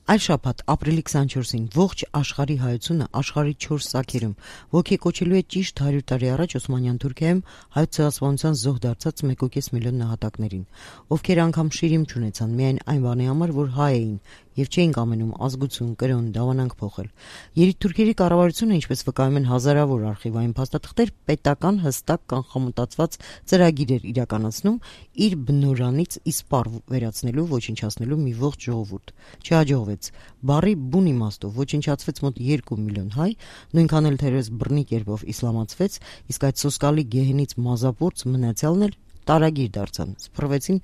Այլ շաբաթ ապրիլի 24-ին ողջ աշխարհի հայությունը աշխարհի 4 սարքերում ոգեկոչելու է ճիշտ 100 տարի առաջ Օսմանյան Թուրքիայում հայոց ցեղասպանության զոհ դարձած 1.5 միլիոն նահատակներին, ովքեր անգամ շիրիմ չունեցան միայն այն բանի համար, որ հայ էին եւ չէին կամենում ազգություն, կրոն, դավանանք փոխել։ Երիտթուրքերի կառավարությունը, ինչպես վկայում են հազարավոր արխիվային փաստաթղթեր, պետական հստակ կանխամտածված ծրագիր էր իրականացնում իր բնորանից իսպառ վերացնելու, ոչնչացնելու մի ողջ ժողովուրդ։ Չհաջողվեց։ Բառի բուն իմաստով ոչնչացվեց մոտ 2 միլիոն հայ, նույնքան էլ թերևս բռնի կերպով իսլամացվեց, իսկ այդ սոսկալի գեհենից մազապուրծ մնացյալն էլ տարագիր դարձան, սփռվեցին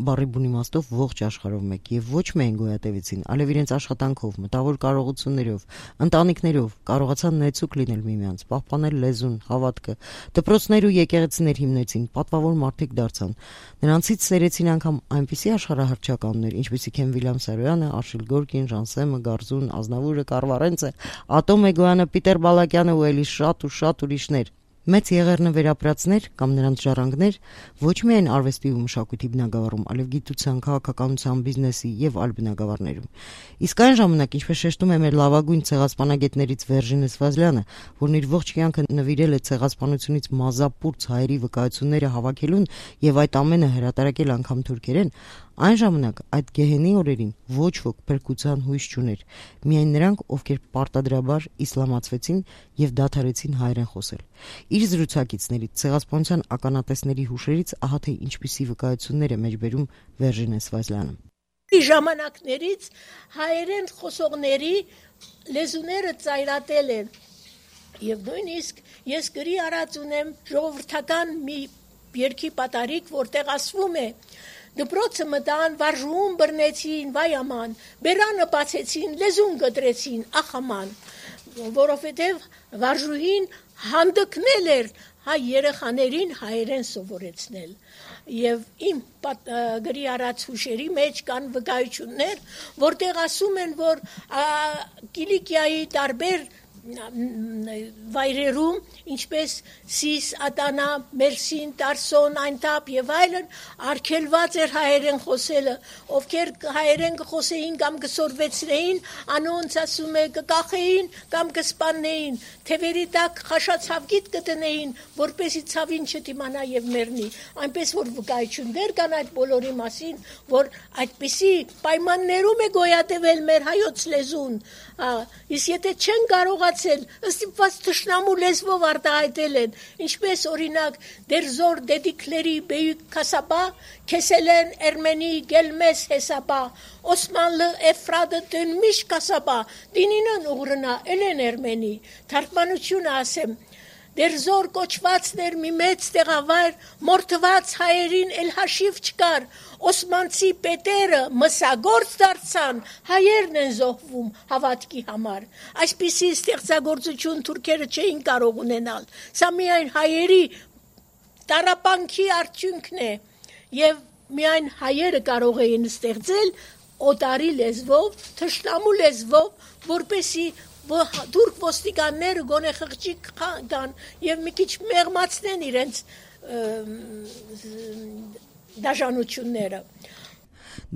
բառի բուն իմաստով ողջ աշխարհով մեկ եւ ոչ միայն գոյատևեցին, այլև իրենց աշխատանքով, մտավոր կարողություններով, ընտանիքներով կարողացան նեցուկ լինել միմյանց, պահպանել լեզուն, հավատքը, դպրոցներ ու եկեղեցիներ հիմնեցին, պատվավոր մարդիկ դարձան։ Նրանցից սերեցին անգամ այնպիսի աշխարհահռչականներ, ինչպիսիք են Վիլյամ Սարոյանը, Արշիլ Գորկին, Ժանսեմը, Գարզուն, Ազնավուրը, Կարվարենցը, Ատոմ Էգոյանը, Պիտեր Բալակյանը ու էլի շատ ուրիշներ։ Մեծ եղերնը վերապրածներ կամ նրանց ժառանգներ ոչ միայն արվեստի ու մշակույթի բնագավառում, այլև գիտության, քաղաքականության, բիզնեսի եւ այլ բնագավառներում։ Իսկ այն ժամանակ, ինչպես շեշտում է մեր լավագույն ցեղասպանագետներից Վերժինե Սվազլյանը, որն իր ողջ կյանքը նվիրել է ցեղասպանությունից մազապուրծ հայերի վկայությունները հավաքելուն եւ այդ ամենը հրատարակել անգամ թուրքերեն, այն ժամանակ այդ գեհենի օրերին ոչ ոք փրկության հույս չուներ, միայն նրանք, ովքեր պարտադրաբար իսլամացվեցին եւ դադարեցին հայերեն խոսել։ Իր զրուցակիցներից ցեղասպանության ականատեսների հուշերից ահա թե ինչպիսի վկայություններ է մեջբերում Վերժինե Սվազլյանը։ Ժամանակներից հայերեն խոսողների լեզուները ծայրատել են եւ նույնիսկ ես գրի արած ունեմ ժողովրդական մի երգի պատարիկ, որտեղ ասվում է դպրոցը մտան, վարժուհուն բռնեցին, վայ աման, բերանը բացեցին, լեզուն գտրեցին, ախ աման, որովհետև վարժուհին հանդգնել էր հայ երեխաներին հայերեն սովորեցնել։ Եվ իմ գրի արած հուշերի մեջ կան վկայություններ, որտեղ ասում են, որ Կիլիկիայի տարբեր վայրերում, ինչպես Սիս, Ադանա, Մերսին, Տարսոն, Այնտապ եւ այլն, արգելված էր հայերեն խոսելը, ովքեր հայերեն կխոսեին կամ կսորվեցնեին, անոնց ասում է կկախեին կամ կսպաննեին, թևերի տակ խաշացավգիտ կտնեին, որպեսի ցավին չդիմանա եւ մեռնի։ Այնպես որ վկայություններ կան այդ բոլորի մասին, որ այդպիսի պայմաններում է գոյատևել մեր հայոց լեզուն, իսկ եթե չեն կարողացել, ըստիպված թշնամու լեզվով արտահայտել են, ինչպես օրինակ դերզոր դեդիկլերի բեյük կասաբա, քեսելեն էրմենի գելմես հեսաբա, Օսմանլը էֆրադը դնմիշ կասաբա, դինինն ուղրնա էլեն էրմենի, թարգմանությունը ասեմ, դերզոր կոչվածներ մի մեծ տեղավայր, մորթված հայերին էլ հաշիվ չկար, Օսմանցի պետերը մսագործ դարձան, հայերն են զոհվում հավատքի համար։ Այսպիսի ստեղծագործություն թուրքերը չէին կարող ունենալ։ Սա միայն հայերի տառապանքի արդյունքն է, եւ միայն հայերը կարող էին ստեղծել օտարի լեզվով, թշնամու լեզվով, որպեսի թուրք ոստիկանները գոնե խղճի կան եւ մի քիչ մեղմացնեն իրենց դաշնությունները։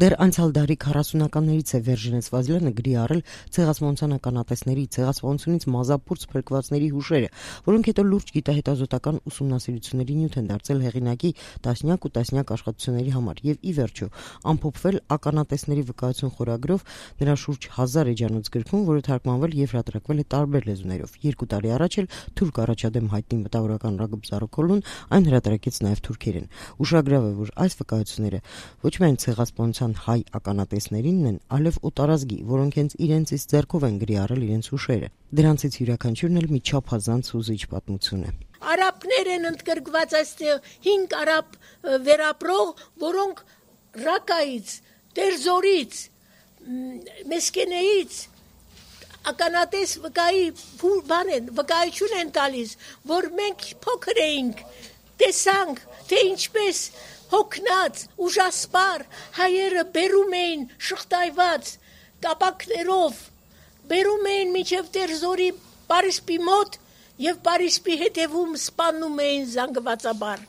Դեռ անցյալ դարի 40-ականներից է Վերժինե Սվազլյանը գրի առել ցեղասպանության ականատեսների, ցեղասպանությունից մազապուրծ փրկվածների հուշերը, որոնք հետո լուրջ գիտահետազոտական ուսումնասիրությունների նյութ են դարձել հեղինակի տասնյակ ու տասնյակ աշխատությունների համար եւ ի վերջո ամփոփվել ականատեսների վկայություն խորագրով նրա շուրջ 1000 էջանոց գրքում, որը թարգմանվել եւ հրատարակվել է տարբեր լեզուներով։ 2 տարի առաջ էլ թուրք առաջադեմ հայտնի մտավորական Ռագոբ Զարոքոլուն այն հրատարակեց նաեւ թուրքերեն։ Ուշագրավ է, որ այս վկայությունները ոչ միայն ցեղասպանության հայ ականատեսներինն են, այլև օտարազգի, որոնք հենց իրենցից ձեռքով են գրի առել իրենց հուշերը։ Դրանցից յուրաքանչյուրն էլ մի չափազանց հուզիչ պատմություն է։ Արաբներ են ընդգրկված այստեղ 5 արաբ վերապրող, որոնք Ռակայից, Տերզորից, Մեսկենեից ականատես վկայություն են տալիս, որ մենք փոքր էինք, տեսանք, թե ինչպես հոգնած, ուժասպար հայերը բերում էին շղթայված կապակներով, բերում էին մինչև Տերզորի Պարիսպի մոտ եւ Պարիսպի հետևում սպանում էին զանգվածաբար։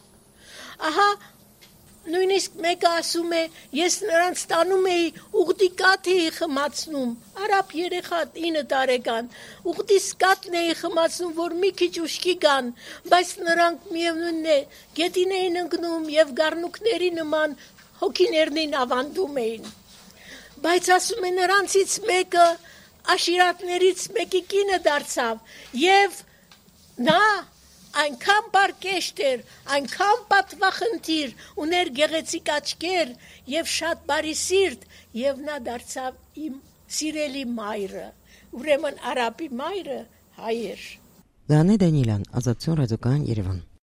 Ահա Նույնիսկ մեկը ասում է, ես նրանց տանում էի ուղտի կաթ էի խմացնում, արաբ երեխա 9 տարեկան, ուղտի կաթն էի խմացնում, որ մի քիչ ուշքի գան, բայց նրանք միևնույնն է, գետին էին ընկնում եւ գառնուկների նման հոգիներնին ավանդում էին։ Բայց ասում է նրանցից մեկը աշիրատներից մեկի կինը դարձավ եւ նա այնքան բարկեշտ էր, այնքան պատվախնդիր, ուներ գեղեցիկ աչքեր եւ շատ բարի սիրտ եւ նա դարձավ իմ սիրելի մայրը, ուրեմն արաբի մայրը հայ էր։ Դանե Դանիելյան, Ազատություն ռադիոկայան, Երևան։